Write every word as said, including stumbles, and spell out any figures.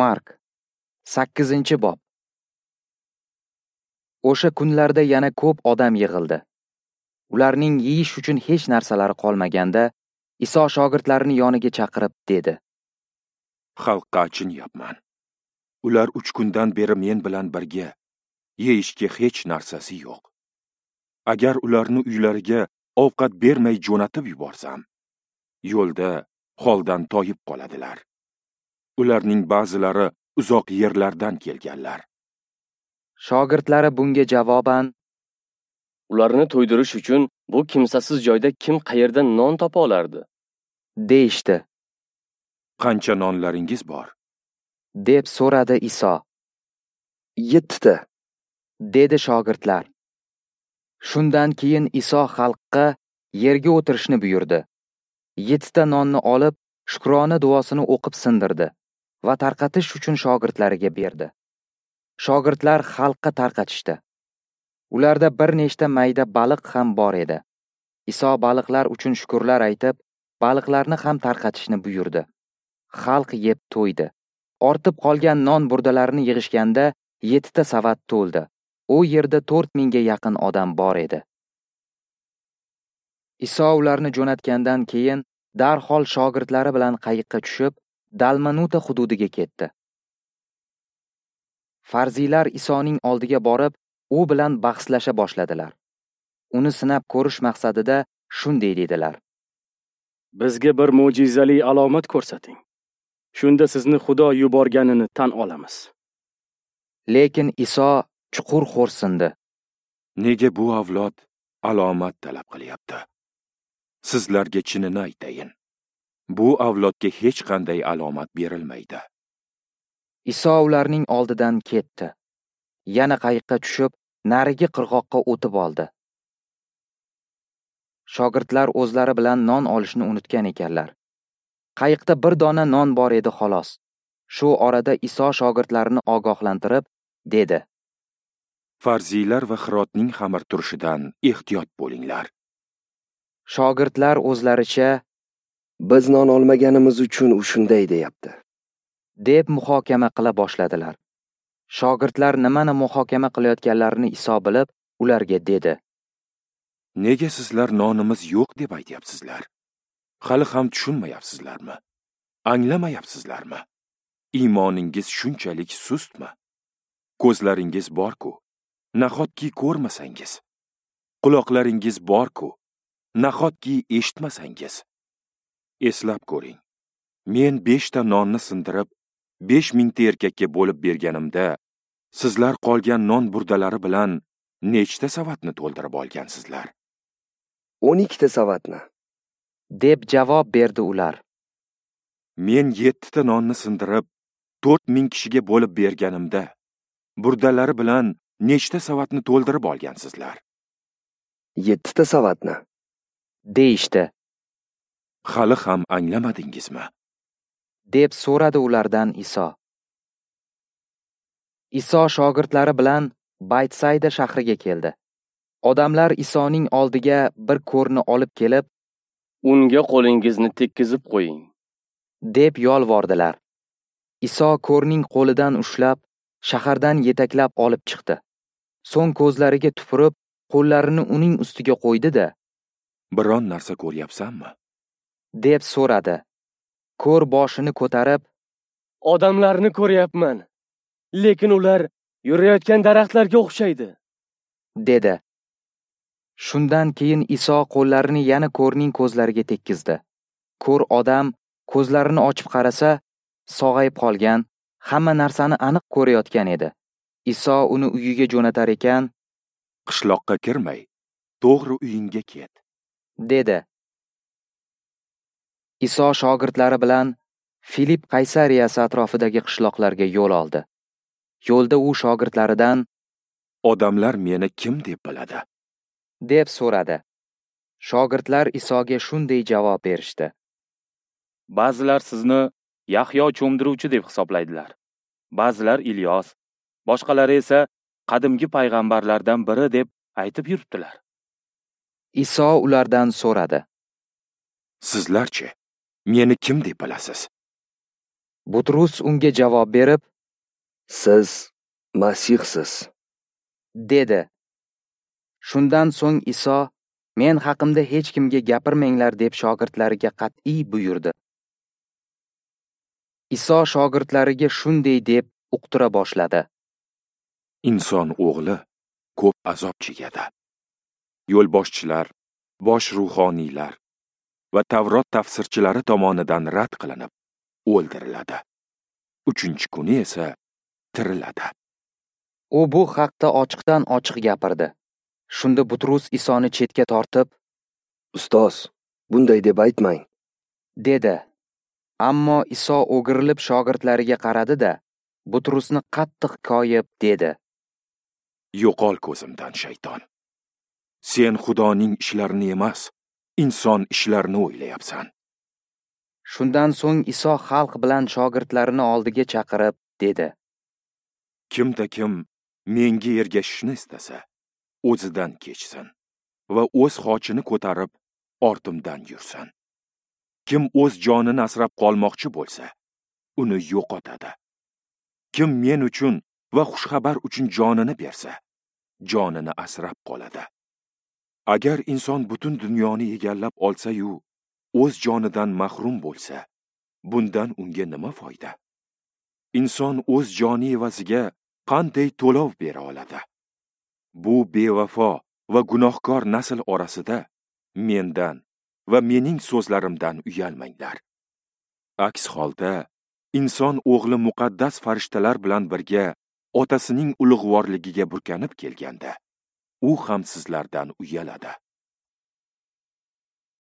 Mark, sakkizinchi bob. O'sha kunlarda yana ko'p odam yig'ildi. Ularning yeyish uchun hech narsalari qolmaganda, Iso shogirdlarini yoniga chaqirib dedi: Xalqqa achinyapman. Ular uch kundan beri men bilan birga, yeyishga hech narsasi yo'q. Agar ularni uylariga ovqat bermay jo'natib yuborsam, yo'lda holdan toyib qoladilar. Ularning ba'zilari uzoq yerlardan kelganlar. Shogirdlari bunga javoban: Ularni to'ydirish uchun bu kimsasiz joyda kim qayerdan non topa olardi? deyishdi. Qancha nonlaringiz bor? deb so'radi Iso. Yettita, dedi shogirdlar. Shundan keyin Iso xalqqa yerga o'tirishni buyurdi. Yettita nonni olib, shukrona duosini o'qib sindirdi va tarqatish uchun shogirdlariga berdi. Shogirdlar xalqqa tarqatishdi. Ularda bir nechta mayda baliq ham bor edi. Iso baliqlar uchun shukrlar aytib, baliqlarni ham tarqatishni buyurdi. Xalq yeb to'ydi. Ortib qolgan non burdalarini yig'ishganda yettita savat to'ldi. U yerda to'rt mingga yaqin odam bor edi. Iso ularni jo'natgandan keyin darhol shogirdlari bilan qayiqqa tushib, Dalmanuta hududiga ketdi. Farziylar Isoning oldiga borib, u bilan bahslasha boshladilar. Uni sinab ko'rish maqsadida shunday dedilar: Bizga bir mo'jizali alomat ko'rsating. Shunda sizni Xudo yuborganini tan olamiz. Lekin Iso chuqur xo'rsindi. Nega bu avlod alomat talab qilyapti? Sizlarga chinini aytayin. Bu avlodga hech qanday alomat berilmaydi. Iso ularning oldidan ketdi. Yana qayiqqa tushib, narigi qirg'oqqa o'tib oldi. Shogirdlar o'zlari bilan non olishni unutgan ekanlar. Qayiqda bir dona non bor edi xolos. Shu orada Iso shogirdlarini ogohlantirib, dedi: Farziylar va Hirotning xamir turishidan ehtiyot bo'linglar. Shogirdlar o'zlaricha: Biz non olmaganimiz uchun u shunday deyapti, deb muhokama qila boshladilar. Shogirdlar nimani muhokama qilayotganlarini Iso bilib, ularga dedi: Nega sizlar nonimiz yo'q deb aytyapsizlar? Hali ham tushunmayapsizlarmi? Anglamayapsizlarmi? Iymoningiz shunchalik sustmi? Ko'zlaringiz bor-ku, nahotki ko'rmasangiz? Quloqlaringiz bor-ku, nahotki eshitmasangiz? Eslab ko'ring. Men beshta nonni sindirib, besh mingta erkakka bo'lib berganimda, sizlar qolgan non burdalari bilan nechta savatni to'ldirib olgansizlar? o'n ikkita savatni, deb javob berdi ular. Men yettita nonni sindirib, to'rt ming kishiga bo'lib berganimda, burdalari bilan nechta savatni to'ldirib olgansizlar? Yettita savatni, deyishdi. Hali ham anglamadingizmi? deb so'radi ulardan Iso. Iso shogirdlari bilan Baytsayda shahriga keldi. Odamlar Isoning oldiga bir ko'rni olib kelib, Unga qo'lingizni tekkizib qo'ying, deb yolvordilar. Iso ko'rning qo'lidan ushlab, shahardan yetaklab olib chiqdi. So'ng ko'zlariga tupurib, qo'llarini uning ustiga qo'ydi-da, Biron narsa ko'ryapsanmi? deb so'radi. Ko'r boshini ko'tarib, Odamlarni ko'ryapman, lekin ular yurayotgan daraxtlarga o'xshaydi, dedi. Shundan keyin Iso qo'llarini yana ko'rning ko'zlariga tekkizdi. Ko'r odam ko'zlarini ochib qarasa, sog'ayib qolgan, hamma narsani aniq ko'rayotgan edi. Iso uni uyiga jo'natar ekan, Qishloqqa kirmay, to'g'ri uyingga ket, dedi. Iso shogirdlari bilan Filip Qaysariyasi atrofidagi qishloqlarga yo'l oldi. Yo'lda u shogirdlaridan: Odamlar meni kim deb biladi? deb so'radi. Shogirdlar Isoga shunday javob berishdi: Ba'zilar sizni Yahyo cho'mdiruvchi deb hisoblaydilar. Ba'zilar Ilyos, boshqalari esa qadimgi payg'ambarlardan biri deb aytib yuribdilar. Iso ulardan so'radi: Sizlarchi, meni kim deb bilasiz? Butrus unga javob berib, Siz Masihsiz, dedi. Shundan so'ng Iso, men haqimda hech kimga gapirmanglar deb shogirdlariga qat'iy buyurdi. Iso shogirdlariga shunday deb uqtira boshladi. Inson o'g'li ko'p azob chekadi. Yo'lboshchilar, bosh ruhoniylar va Tavrot tafsirchilari tomonidan rad qilinib, o'ldiriladi. Uchinchi kuni esa tiriladi. U bu haqda ochiqdan ochiq gapirdi. Shunda Butrus Isoni chetga tortib, Ustoz, bunday deb aytmang, dedi. Ammo Iso o'girilib shogirdlariga qaradi-da, Butrusni qattiq koyib dedi: Yo'qol ko'zimdan, shayton. Sen Xudoning ishlarini emas, inson ishlarini o'ylayapsan. Shundan so'ng Iso xalq bilan shogirdlarini oldiga chaqirib dedi: Kimda kim menga ergashishni istasa, o'zidan kechsin va o'z xochini ko'tarib ortimdan yursin. Kim o'z jonini asrab qolmoqchi bo'lsa, uni yo'qotadi. Kim men uchun va xushxabar uchun jonini bersa, jonini asrab qoladi. Agar inson butun dunyoni egallab olsa-yu, o'z jonidan mahrum bo'lsa, bundan unga nima foyda? Inson o'z joni evaziga qanday to'lov bera oladi? Bu bevafo va gunohkor nasl orasida mendan va mening so'zlarimdan uyalmanglar. Aks holda inson o'g'li muqaddas farishtalar bilan birga otasining ulug'vorligiga burkanib kelganda, u ham sizlardan uyaladi.